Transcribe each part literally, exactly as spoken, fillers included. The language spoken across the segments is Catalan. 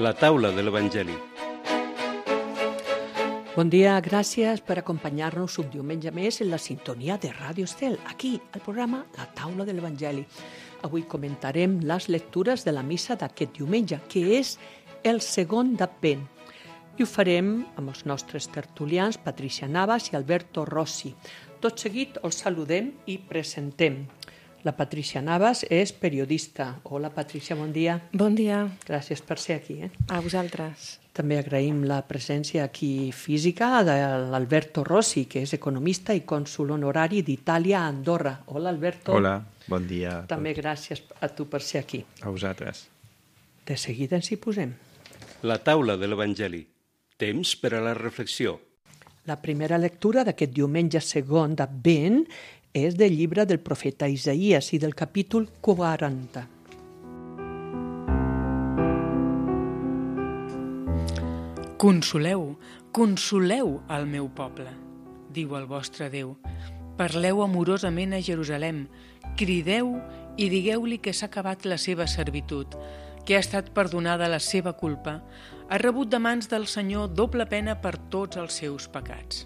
La taula de l'Evangeli. Bon dia, gràcies per acompanyar-nos un diumenge més en la sintonia de Ràdio Estel, aquí, al programa La taula de l'Evangeli. Avui comentarem les lectures de la missa d'aquest diumenge, que és el segon d'Advent. I ho farem amb els nostres tertulians, Patricia Navas i Alberto Rossi. Tot seguit els saludem i presentem. La Patricia Navas és periodista. Hola, Patricia, bon dia. Bon dia. Gràcies per ser aquí. Eh? A vosaltres. També agraïm la presència aquí física de l'Alberto Rossi, que és economista i cònsul honorari d'Itàlia a Andorra. Hola, Alberto. Hola, bon dia. També gràcies a tu per ser aquí. A vosaltres. De seguida ens hi posem. La taula de l'Evangeli. Temps per a la reflexió. La primera lectura d'aquest diumenge segon d'Advent és del llibre del profeta Isaïes i del capítol quaranta. Consoleu, consoleu el meu poble, diu el vostre Déu. Parleu amorosament a Jerusalem, crideu i digueu-li que s'ha acabat la seva servitud, que ha estat perdonada la seva culpa, ha rebut de mans del Senyor doble pena per tots els seus pecats.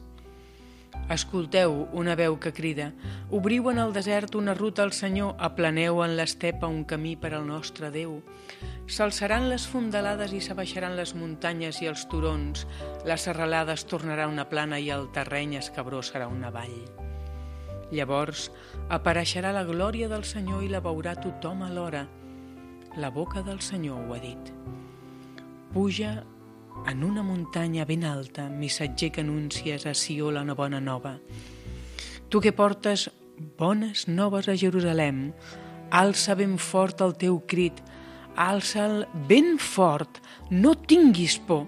Escolteu una veu que crida, obriu en el desert una ruta al Senyor, aplaneu en l'estepa un camí per al nostre Déu. S'alçaran les fondalades i s'abaixaran les muntanyes i els turons, la serralada es tornarà una plana i el terreny escabrós serà una vall. Llavors apareixerà la glòria del Senyor i la veurà tothom alhora. La boca del Senyor ho ha dit. Puja en una muntanya ben alta, missatger que anuncies a Sió la bona nova. Tu que portes bones noves a Jerusalem, alça ben fort el teu crit, alça'l ben fort, no tinguis por.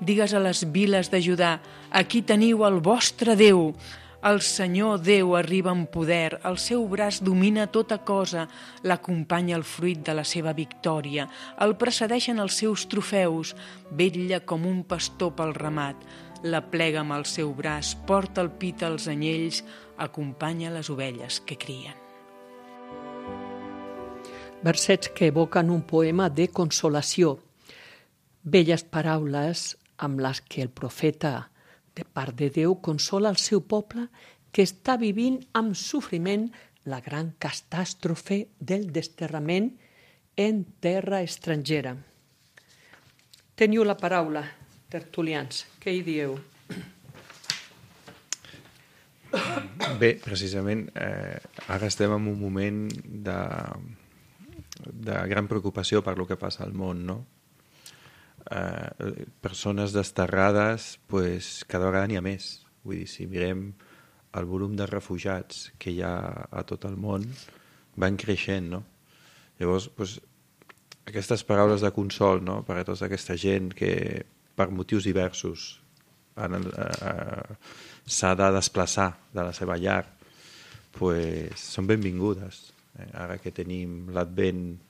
Digues a les viles de Judà, aquí teniu el vostre Déu. El Senyor Déu arriba en poder, el seu braç domina tota cosa, l'acompanya el fruit de la seva victòria, el precedeixen els seus trofeus, vetlla com un pastor pel ramat, la plega amb el seu braç, porta al pit els anyells, acompanya les ovelles que crien. Versets que evoquen un poema de consolació, belles paraules amb les que el profeta de part de Déu consola el seu poble que està vivint amb sofriment la gran catàstrofe del desterrament en terra estrangera. Teniu la paraula, tertulians. Què hi dieu? Bé, precisament, eh, ara estem en un moment de, de gran preocupació per lo que passa al món, no? Eh, persones desterrades, pues, cada vegada n'hi ha més. Vull dir, si mirem el volum de refugiats que hi ha a tot el món, van creixent, no? Llavors, pues, aquestes paraules de consol, no?, per a tota aquesta gent que, per motius diversos, han, eh, s'ha de desplaçar de la seva llar, pues, són benvingudes. Eh? Ara que tenim l'Advent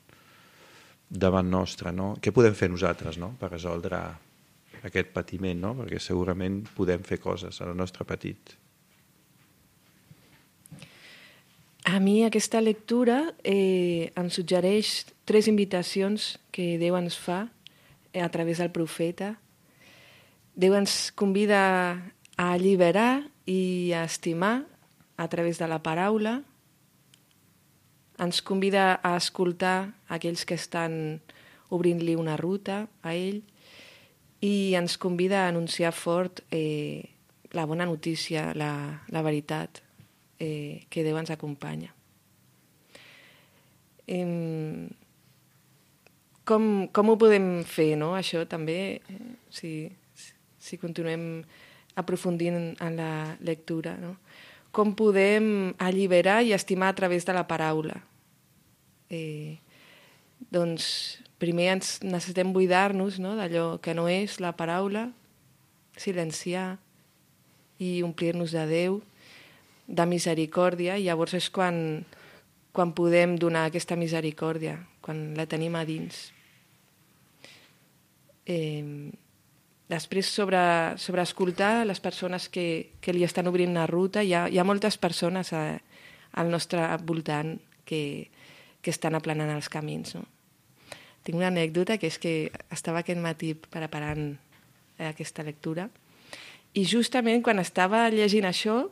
davant nostre, no? Què podem fer nosaltres, no?, per resoldre aquest patiment, no? Perquè segurament podem fer coses a la nostra petit. A mi aquesta lectura eh, em suggereix tres invitacions que Déu ens fa eh, a través del profeta. Déu ens convida a alliberar i a estimar a través de la paraula. Ens convida a escoltar aquells que estan obrint-li una ruta a ell i ens convida a anunciar fort eh, la bona notícia, la, la veritat, eh, que Déu ens acompanya. Eh, com, com ho podem fer, no? Això també, eh, si, si continuem aprofundint en la lectura, no? Com podem alliberar i estimar a través de la paraula. Eh, doncs primer ens necessitem buidar-nos, no?, d'allò que no és la paraula, silenciar i omplir-nos de Déu, de misericòrdia, i llavors és quan, quan podem donar aquesta misericòrdia, quan la tenim a dins. Eh, Després, sobre, sobre escoltar les persones que, que li estan obrint una ruta, hi ha, hi ha moltes persones a, al nostre voltant que, que estan aplanant els camins, no? tinc una anècdota, que és que estava aquest matí preparant aquesta lectura i justament quan estava llegint això,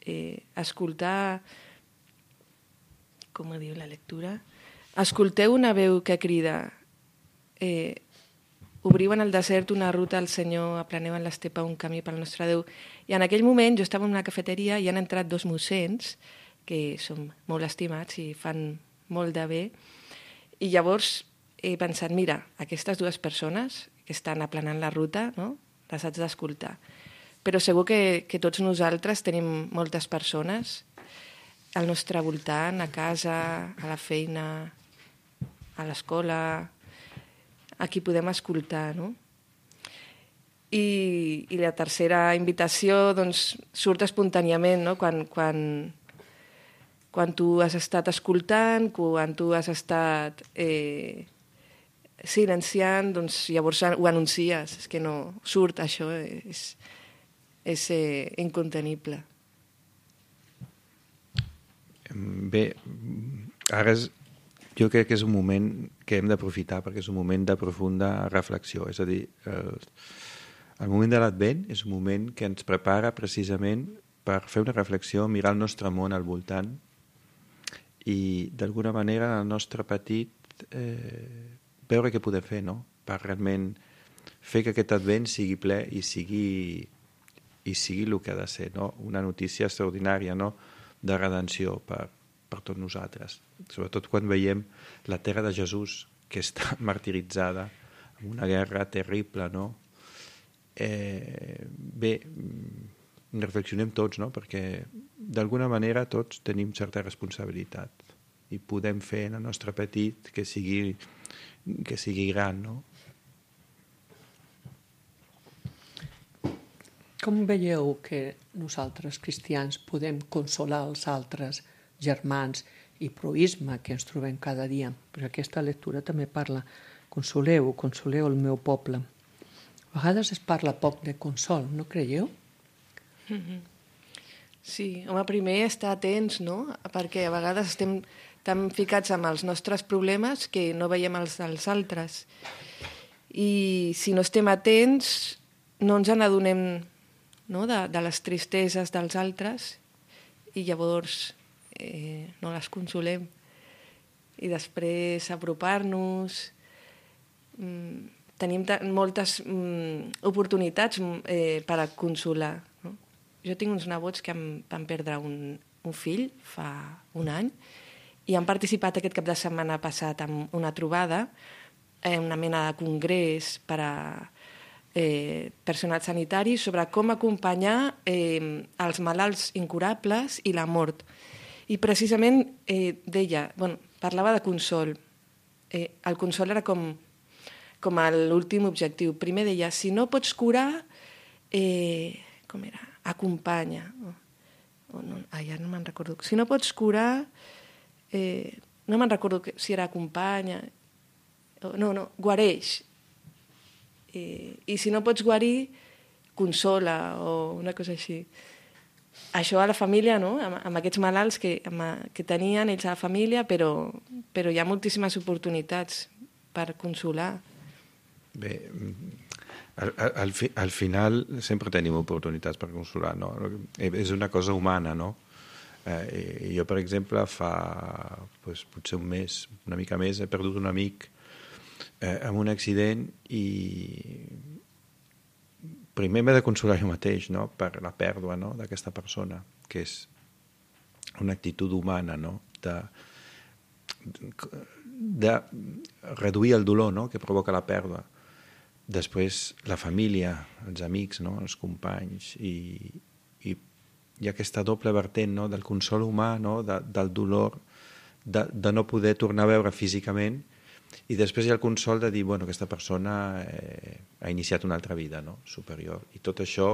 eh, escoltar... Com ho diu la lectura? Escolteu una veu que crida... Eh, obriu en el desert una ruta al Senyor, aplaneu en l'estepa un camí pel nostre Déu. I en aquell moment jo estava en una cafeteria i han entrat dos mossens, que són molt estimats i fan molt de bé, i llavors he pensat, mira, aquestes dues persones que estan aplanant la ruta, no? Les haig d'escoltar. Però segur que, que tots nosaltres tenim moltes persones al nostre voltant, a casa, a la feina, a l'escola, a qui podem escoltar, no? I, i la tercera invitació doncs, surt espontàniament, no? Quan, quan, quan tu has estat escoltant, quan tu has estat eh, silenciant, doncs llavors ho anuncies. És que no surt això, és, és eh, incontenible. Bé, ara és, jo crec que és un moment que hem d'aprofitar perquè és un moment de profunda reflexió. És a dir, el, el moment de l'Advent és un moment que ens prepara precisament per fer una reflexió, mirar el nostre món al voltant i d'alguna manera el nostre petit eh, veure què podem fer, no? Per realment fer que aquest Advent sigui ple i sigui, i sigui el que ha de ser, no? Una notícia extraordinària, no? De redenció per, per tots nosaltres. Sobretot quan veiem la terra de Jesús, que està martiritzada en una guerra terrible, no? Eh, bé, reflexionem tots, no? Perquè d'alguna manera tots tenim certa responsabilitat i podem fer en el nostre petit que sigui, que sigui gran, no? Com veieu que nosaltres, cristians, podem consolar els altres germans i proisme que ens trobem cada dia? Perquè aquesta lectura també parla, consoleu, consoleu el meu poble. A vegades es parla poc de consol, no creieu? Mm-hmm. Sí, home, primer estar atents, no? Perquè a vegades estem tan ficats amb els nostres problemes que no veiem els dels altres. I si no estem atents, no ens n'adonem, no? de, de les tristeses dels altres i llavors eh, no les consolem. I després apropar-nos... Mm, tenim moltes mm, oportunitats eh, per a consolar. No? Jo tinc uns nebots que em van perdre un, un fill fa un any i han participat aquest cap de setmana passat en una trobada, eh, una mena de congrés per a eh, personal sanitari sobre com acompanyar eh, els malalts incurables i la mort. I precisament eh, deia, bueno, parlava de consol. Eh, el consol era com, com l'últim objectiu. Primer deia, si no pots curar, eh, com era? Acompanya. O, o no, ah, ja no me'n recordo. Si no pots curar, eh, no me'n recordo que, si era acompanya, o, no, no, guareix. Eh, I si no pots guarir, consola o una cosa així. Això a la família, no? amb, amb aquests malalts que, amb, que tenien ells a la família, però, però hi ha moltíssimes oportunitats per consolar. Bé, al, al, fi, al final sempre tenim oportunitats per consolar, no? És una cosa humana, no? Eh, jo, per exemple, fa pues, potser un mes, una mica més, he perdut un amic eh, amb un accident i primer m'he de consolar jo mateix, no? Per la pèrdua, no? D'aquesta persona, que és una actitud humana, no? De, de reduir el dolor, no? Que provoca la pèrdua. Després la família, els amics, no? Els companys i, i hi ha aquesta doble vertent, no? Del consol humà, no? De, del dolor de, de no poder tornar a veure físicament i després hi ha el consol de dir, bueno, aquesta persona eh, ha iniciat una altra vida, no? Superior. I tot això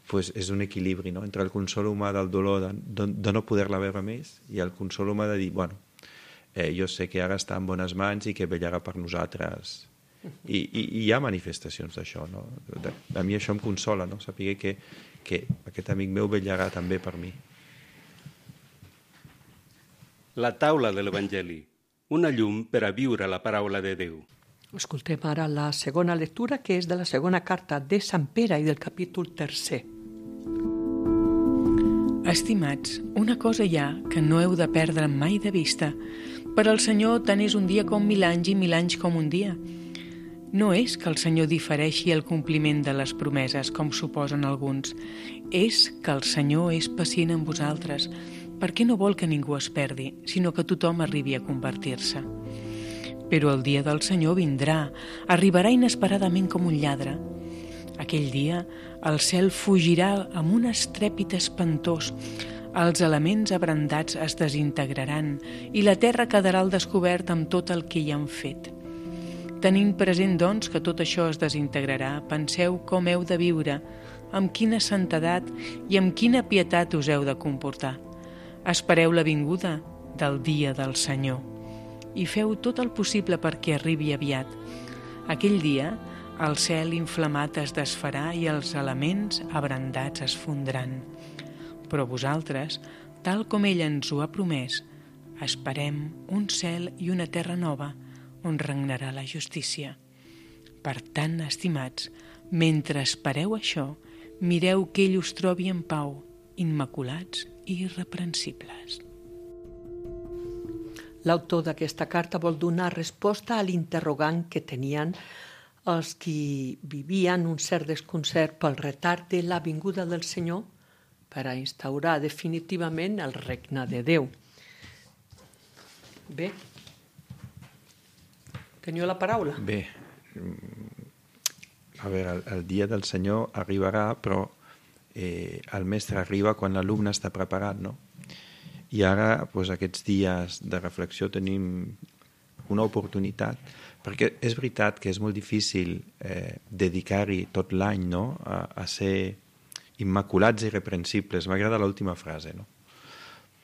pues, és un equilibri, no? Entre el consol humà del dolor de, de, de no poder-la veure més i el consol humà de dir, bueno, eh, jo sé que ara està en bones mans i que vetllarà per nosaltres. I, i, i hi ha manifestacions d'això, no? De, a mi això em consola, no? Saber que, que aquest amic meu vetllarà també per mi. La taula de l'Evangeli, una llum per a viure la paraula de Déu. Escoltem ara la segona lectura, que és de la segona carta de Sant Pere i del capítol tercer. Estimats, una cosa hi ha que no heu de perdre mai de vista. Per al Senyor tant és un dia com mil anys i mil anys com un dia. No és que el Senyor difereixi el compliment de les promeses, com suposen alguns. És que el Senyor és pacient amb vosaltres, perquè no vol que ningú es perdi, sinó que tothom arribi a convertir-se. Però el dia del Senyor vindrà, arribarà inesperadament com un lladre. Aquell dia el cel fugirà amb un estrèpit espantós, els elements abrandats es desintegraran i la terra quedarà al descobert amb tot el que hi han fet. Tenint present, doncs, que tot això es desintegrarà, penseu com heu de viure, amb quina santedat i amb quina pietat us heu de comportar. Espereu la vinguda del dia del Senyor i feu tot el possible perquè arribi aviat. Aquell dia el cel inflamat es desfarà i els elements abrandats es fondran. Però vosaltres, tal com ell ens ho ha promès, esperem un cel i una terra nova on regnarà la justícia. Per tant, estimats, mentre espereu això, mireu que ell us trobi en pau, immaculats i irreprensibles. L'autor d'aquesta carta vol donar resposta a l'interrogant que tenien els qui vivien un cert desconcert pel retard de la vinguda del Senyor per a instaurar definitivament el regne de Déu. Bé, teniu la paraula? Bé, a veure, el, el dia del Senyor arribarà, però eh, el mestre arriba quan l'alumne està preparat, no? I ara, doncs, aquests dies de reflexió tenim una oportunitat, perquè és veritat que és molt difícil eh, dedicar-hi tot l'any, no? a, a ser immaculats i irreprensibles. M'agrada l'última frase, no?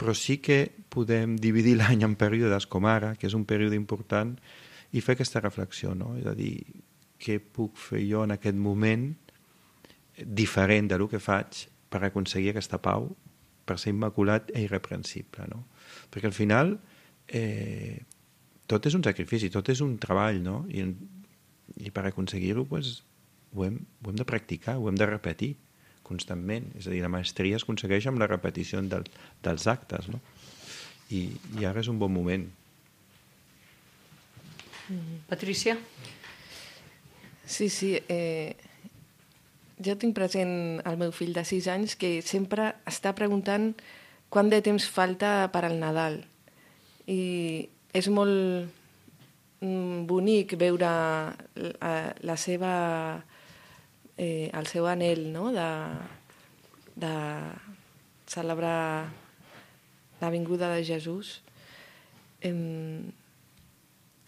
Però sí que podem dividir l'any en períodes com ara, que és un període important, i fer aquesta reflexió, no? És a dir, què puc fer jo en aquest moment diferent del que faig per aconseguir aquesta pau, per ser immaculat i irreprensible, no? Perquè al final eh, tot és un sacrifici, tot és un treball, no? I, i per aconseguir-ho pues, ho, hem, ho hem de practicar, ho hem de repetir constantment. És a dir, la maestria es aconsegueix amb la repetició del, dels actes, no? I, i ara és un bon moment. Patricia? Sí, sí. Eh, jo tinc present el meu fill de sis anys que sempre està preguntant quant de temps falta per al Nadal. I és molt bonic veure la seva, eh, el seu anhel, no? de, de celebrar la vinguda de Jesús. Eh,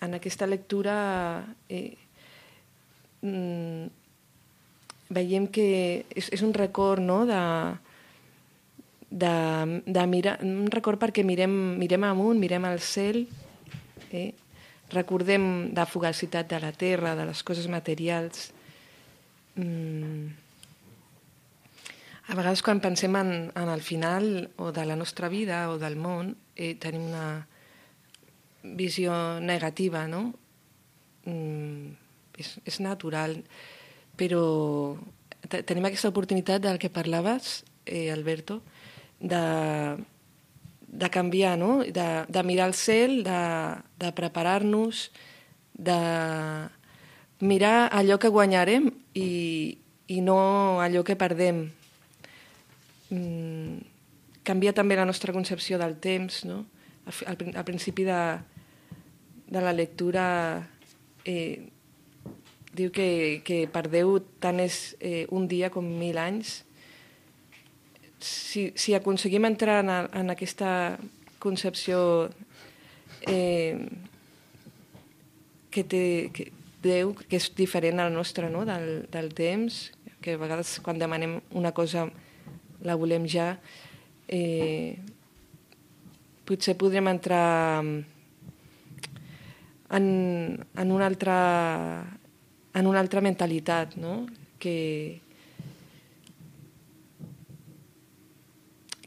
en aquesta lectura eh, veiem que és, és un record, no? de, de, de mirar, un record perquè mirem, mirem amunt, mirem al cel, eh? recordem la fugacitat de la terra, de les coses materials. Mm. A vegades quan pensem en, en el final o de la nostra vida o del món eh, tenim una visió negativa, no? Mm. És, és natural, però tenim aquesta oportunitat del que parlaves, eh, Alberto, de, de canviar, no? de, de mirar el cel, de, de preparar-nos, de mirar allò que guanyarem i, i no allò que perdem. Mm, canvia també la nostra concepció del temps, no? Al, al principi de, de la lectura eh, diu que, que per Déu tant és eh, un dia com mil anys. Si, si aconseguim entrar en, en aquesta concepció eh, que té que Déu, que és diferent al nostre, no? del, del temps, que a vegades quan demanem una cosa la volem ja, eh, potser podrem entrar en, en una altra en una altra mentalitat, no? que,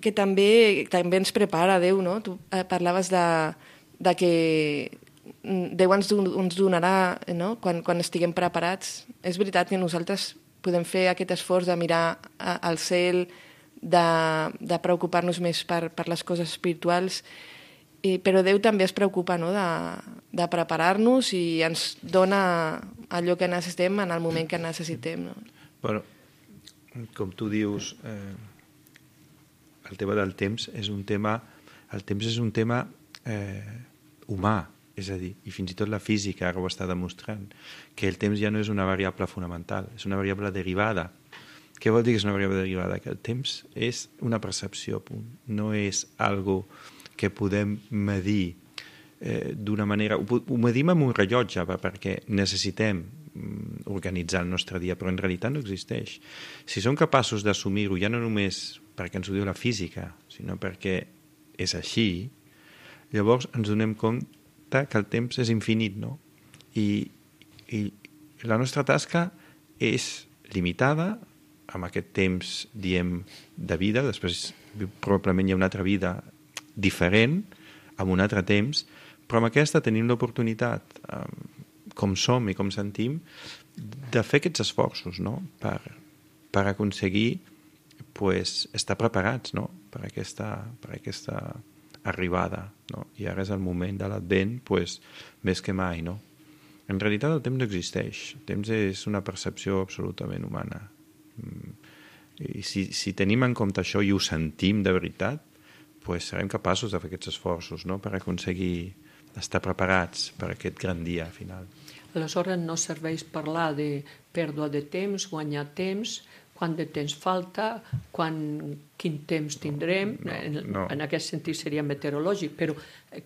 que també, també ens prepara Déu, no? Tu parlaves de, de que Déu ens, don, ens donarà, no? quan, quan estiguem preparats. És veritat que nosaltres podem fer aquest esforç de mirar a, al cel, de, de preocupar-nos més per, per les coses espirituals, i, però Déu també es preocupa, no? de, de preparar-nos i ens dona allò que necessitem en el moment que necessitem. No? Bueno, com tu dius, eh, el tema del temps és un tema, el temps és un tema eh, humà. És a dir, i fins i tot la física ara ho està demostrant, que el temps ja no és una variable fonamental, és una variable derivada. Què vol dir que és una variable derivada? Que el temps és una percepció, punt. No és algo que podem medir eh, d'una manera... Ho, ho medim amb un rellotge perquè necessitem mm, organitzar el nostre dia, però en realitat no existeix. Si som capaços d'assumir-ho, ja no només perquè ens ho diu la física, sinó perquè és així, llavors ens donem compte que el temps és infinit, no? I, i la nostra tasca és limitada amb aquest temps, diem, de vida, després probablement hi ha una altra vida diferent, amb un altre temps, però amb aquesta tenim l'oportunitat, com som i com sentim, de fer aquests esforços, no? Per, per aconseguir pues, estar preparats, no? Per aquesta, per aquesta arribada, no? I ara és el moment de l'Advent, pues, més que mai, no? En realitat el temps no existeix. El temps és una percepció absolutament humana. I si, si tenim en compte això i ho sentim de veritat, pues, serem capaços de fer aquests esforços, no? Per aconseguir estar preparats per aquest gran dia final. Aleshores no serveix parlar de pèrdua de temps, guanyar temps, quant de temps falta, quan, quin temps tindrem, no, en, no. en aquest sentit seria meteorològic, però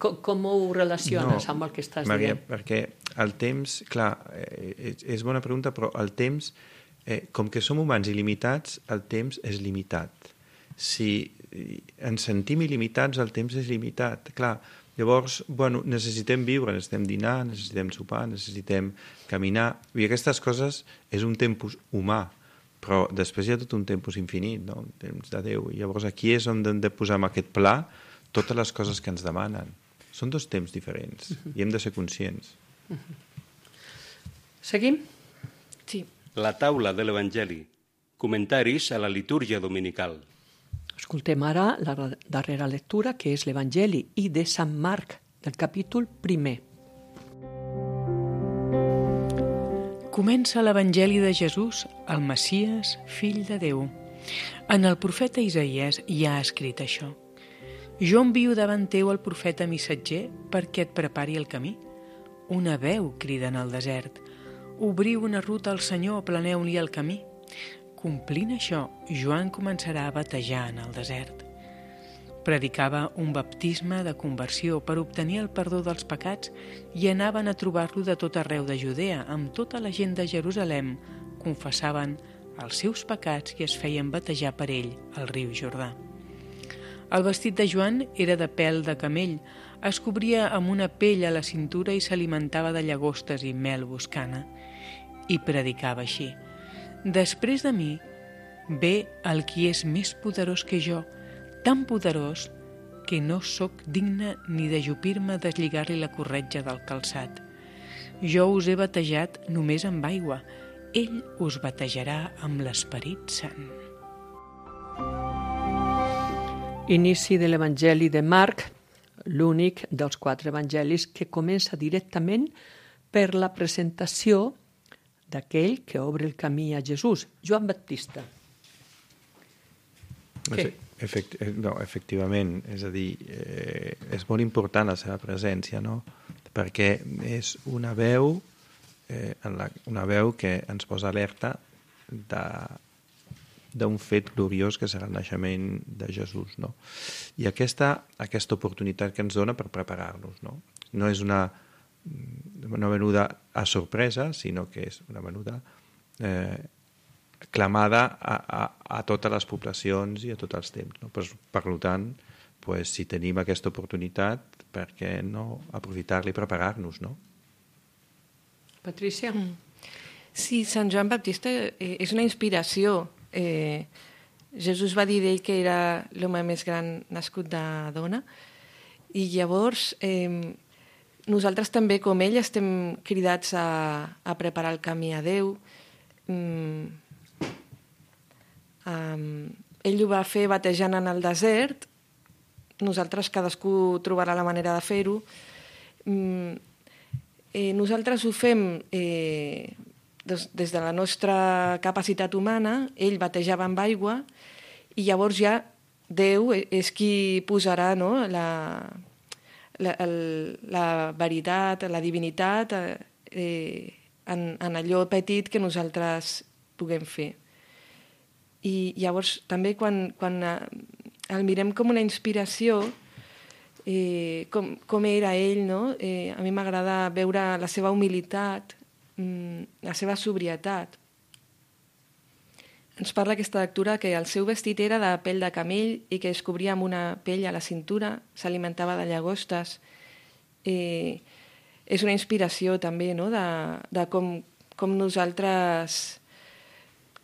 com, com ho relaciones no, amb el que estàs Maria, dient? perquè el temps, clar, eh, és bona pregunta, però el temps, eh, com que som humans il·limitats, el temps és limitat. Si ens sentim il·limitats, el temps és limitat. Clar, llavors, bueno, necessitem viure, necessitem dinar, necessitem sopar, necessitem caminar, i aquestes coses és un temps humà, però després hi ha tot un temps infinit, no? Un temps de Déu. I llavors aquí és on hem de posar en aquest pla totes les coses que ens demanen. Són dos temps diferents i hem de ser conscients. Seguim? Sí. La taula de l'Evangeli. Comentaris a la litúrgia dominical. Escoltem ara la darrera lectura, que és l'Evangeli i de Sant Marc, del capítol primer. Comença l'Evangeli de Jesús, el Messies, fill de Déu. En el profeta Isaïes hi ha escrit això. Jo envio davant teu el profeta missatger perquè et prepari el camí. Una veu crida en el desert. Obriu una ruta al Senyor, aplaneu-li el camí. Complint això, Joan començarà a batejar en el desert. Predicava un baptisme de conversió per obtenir el perdó dels pecats i anaven a trobar-lo de tot arreu de Judea, amb tota la gent de Jerusalem, confessaven els seus pecats i es feien batejar per ell al riu Jordà. El vestit de Joan era de pèl de camell, es cobria amb una pell a la cintura i s'alimentava de llagostes i mel boscana. I predicava així: després de mi ve el qui és més poderós que jo, tan poderós que no sóc digne ni d'ajupir-me a deslligar-li la corretja del calçat. Jo us he batejat només amb aigua, ell us batejarà amb l'Esperit Sant. Inici de l'Evangeli de Marc, l'únic dels quatre evangelis que comença directament per la presentació d'aquell que obre el camí a Jesús, Joan Baptista. Què? Efect, no, efectivament, és a dir, eh, és molt important la seva presència, no? Perquè és una veu, eh, en la, una veu que ens posa alerta d'un fet gloriós que serà el naixement de Jesús, no? I aquesta, aquesta oportunitat que ens dona per preparar-nos, no? No és una, una venuda a sorpresa, sinó que és una venuda eh, clamada a, a, a totes les poblacions i a tots els temps, no? Per, per tant, pues, si tenim aquesta oportunitat, per què no aprofitar-la i preparar-nos, no? Patrícia? Mm. Sí, Sant Joan Baptista eh, és una inspiració. Eh, Jesús va dir d'ell que era l'home més gran nascut de dona, i llavors eh, nosaltres també, com ell, estem cridats a, a preparar el camí a Déu. Mm, um, ell ho va fer batejant en el desert, nosaltres cadascú trobarà la manera de fer-ho. Mm, eh, nosaltres ho fem eh, des, des de la nostra capacitat humana, ell batejava amb aigua, i llavors ja Déu és qui posarà, no, la, la, el, la veritat, la divinitat eh, en, en allò petit que nosaltres puguem fer. I llavors també quan, quan el mirem com una inspiració, eh, com, com era ell, no? eh, a mi m'agrada veure la seva humilitat, la seva sobrietat. Ens parla aquesta lectura que el seu vestit era de pell de camell i que es cobria amb una pell a la cintura, s'alimentava de llagostes. Eh, és una inspiració també, no? de, de com, com nosaltres,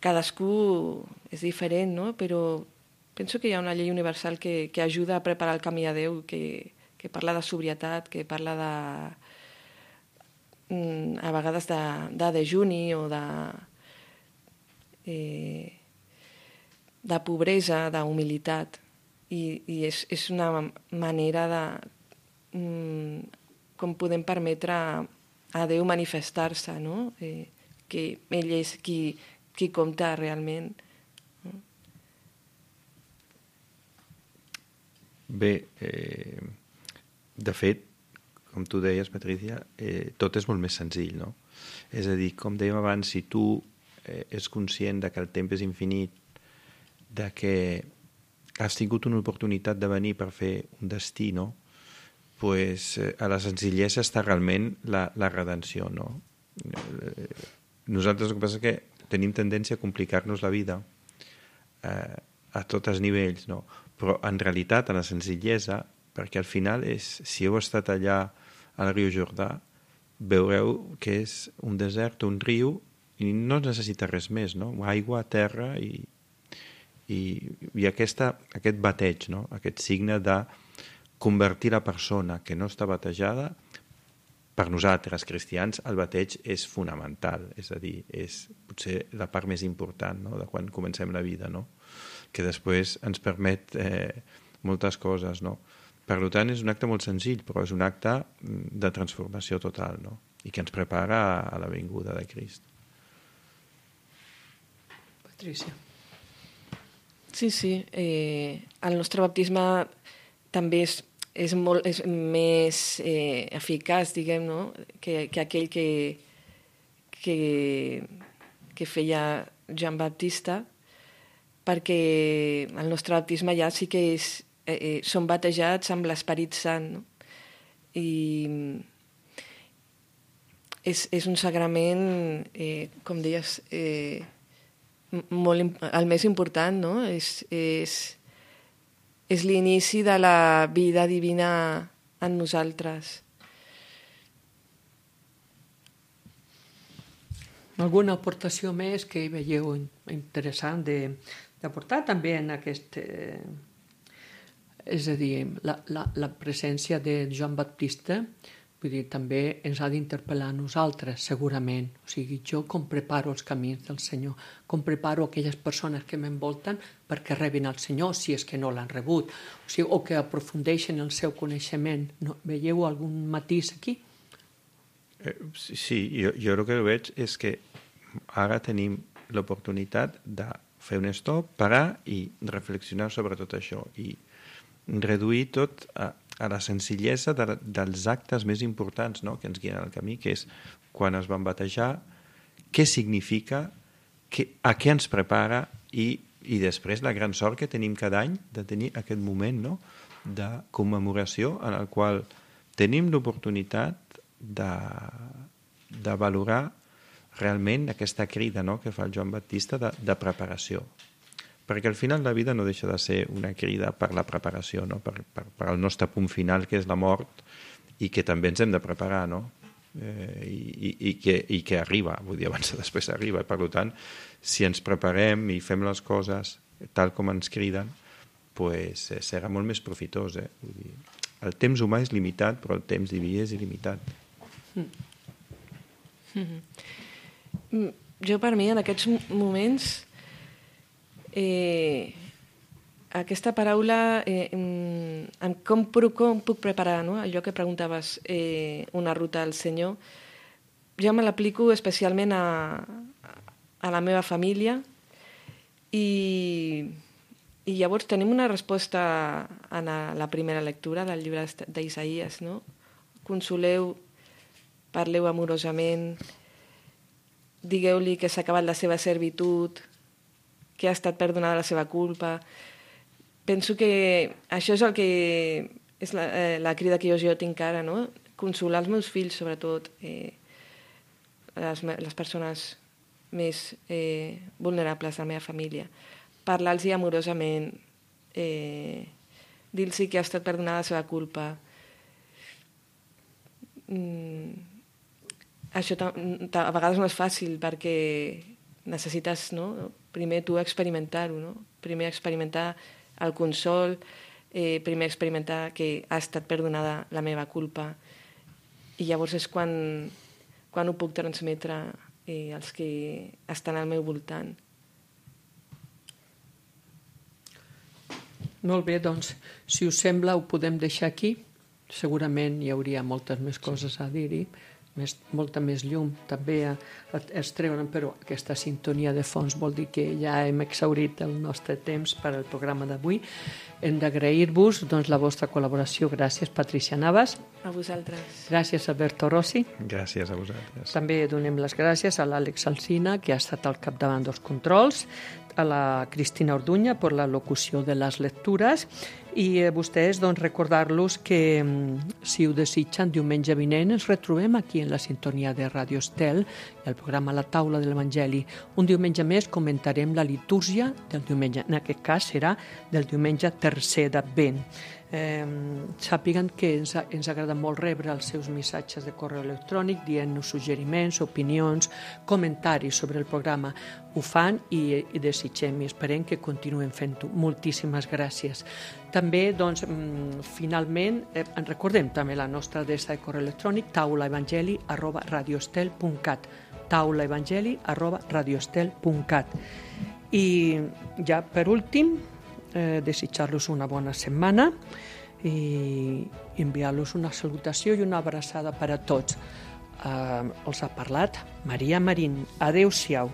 cadascú és diferent, no? Però penso que hi ha una llei universal que, que ajuda a preparar el camí a Déu, que, que parla de sobrietat, que parla de, a vegades de, de dejuni o de... Eh, de pobresa, d'humilitat, i, i és, és una manera de mm, com podem permetre a, a Déu manifestar-se, no? Eh, que ell és qui, qui compta realment. No? Bé, eh, de fet, com tu deies, Patricia, eh, tot és molt més senzill, no? És a dir, com dèiem abans, si tu és conscient de que el temps és infinit, de que has tingut una oportunitat de venir per fer un destí, no? Pues, a la senzillesa està realment la, la redenció, no? Nosaltres el que passa és que tenim tendència a complicar-nos la vida eh, a tots els nivells, no? Però en realitat, a la senzillesa, perquè al final és, si heu estat allà al riu Jordà, veureu que és un desert, un riu, i no necessita res més, no? Aigua, terra i, i, i aquesta, aquest bateig, no? Aquest signe de convertir la persona que no està batejada. Per nosaltres, cristians, el bateig és fonamental, és a dir, és potser la part més important, no? De quan comencem la vida, no? Que després ens permet eh, moltes coses, no? Per tant, és un acte molt senzill, però és un acte de transformació total, no? I que ens prepara a la vinguda de Crist. Patricia. Sí, sí. Eh, el nostre baptisme també és, és, molt, és més eh, eficaç, diguem, no? que, que aquell que, que, que feia Joan Baptista, perquè el nostre baptisme ja sí que és, eh, som batejats amb l'Esperit Sant, no? I és, és un sagrament, eh, com deies, eh, molt, el més important, no? És, és, és l'inici de la vida divina en nosaltres. Alguna aportació més que veieu interessant d'aportar també en aquest... Eh, és a dir, la, la, la presència de Joan Baptista, vull dir, també ens ha d'interpel·lar a nosaltres, segurament. O sigui, jo com preparo els camins del Senyor, com preparo aquelles persones que m'envolten perquè rebin el Senyor, si és que no l'han rebut, o sigui, o que aprofundeixen el seu coneixement. No, veieu algun matís aquí? Eh, sí, jo, jo el que veig és que ara tenim l'oportunitat de fer un stop, parar i reflexionar sobre tot això i reduir tot a, a la senzillesa de, dels actes més importants, no?, que ens guien al camí, que és quan es van batejar, què significa, que, a què ens prepara i, i després la gran sort que tenim cada any de tenir aquest moment, no?, de commemoració en el qual tenim l'oportunitat de, de valorar realment aquesta crida, no?, que fa el Joan Baptista de, de preparació. Perquè al final la vida no deixa de ser una crida per la preparació, no? per, per, per el nostre punt final, que és la mort, i que també ens hem de preparar, no? Eh, i, i, que, i que arriba, vull dir, abans o després arriba. Per tant, si ens preparem i fem les coses tal com ens criden, pues, eh, serà molt més profitós. Eh? Vull dir, el temps humà és limitat, però el temps diví és il·limitat. Mm. Mm. Jo, per mi, en aquests moments, eh, aquesta paraula, eh, en com, com puc preparar, no? Allò que preguntaves, eh, una ruta al Senyor, jo me l'aplico especialment a, a la meva família i, i llavors tenim una resposta en la, la primera lectura del llibre d'Isaïes, no? Consoleu, parleu amorosament, digueu-li que s'ha acabat la seva servitud, que ha estat perdonada la seva culpa. Penso que això és el que és la, eh, la crida que jo, jo tinc ara, no? Consolar els meus fills, sobretot, eh, les, les persones més eh, vulnerables de la meva família. Parlar-los amorosament, eh, dir-los que ha estat perdonada la seva culpa. Mm, això a vegades no és fàcil perquè necessites, no? Primer tu experimentar-ho, no? Primer experimentar el consol, eh, primer experimentar que ha estat perdonada la meva culpa i llavors és quan, quan ho puc transmetre eh, als que estan al meu voltant. Molt bé, doncs, si us sembla ho podem deixar aquí. Segurament hi hauria moltes més coses a dir-hi, més, molta més llum també a, a, es treuen, però aquesta sintonia de fons vol dir que ja hem exhaurit el nostre temps per al programa d'avui. Hem d'agrair-vos doncs, la vostra col·laboració. Gràcies, Patricia Navas. A vosaltres. Gràcies, Alberto Rossi. Gràcies a vosaltres. També donem les gràcies a l'Àlex Alsina, que ha estat al capdavant dels controls, a la Cristina Orduña per la locució de les lectures i a vostès doncs, recordar-los que si ho desitgen diumenge vinent ens retrobem aquí en la sintonia de Ràdio Estel i el programa La Taula de l'Evangeli. Un diumenge més comentarem la litúrgia del diumenge, en aquest cas serà del diumenge tercer d'Advent. Eh, sàpiguen que ens, ens agrada molt rebre els seus missatges de correu electrònic dient-nos suggeriments, opinions, comentaris sobre el programa. Ho fan i, i desitgem i esperem que continuem fent-ho. Moltíssimes gràcies. També, doncs, finalment, eh, en recordem també la nostra adreça de correu electrònic taulaevangeli arroba radioestel punt cat taulaevangeli arroba radioestel punt cat. I ja per últim, eh, desitjar-los una bona setmana i enviar-los una salutació i una abraçada per a tots. Eh, els ha parlat Maria Marín. Adéu-siau.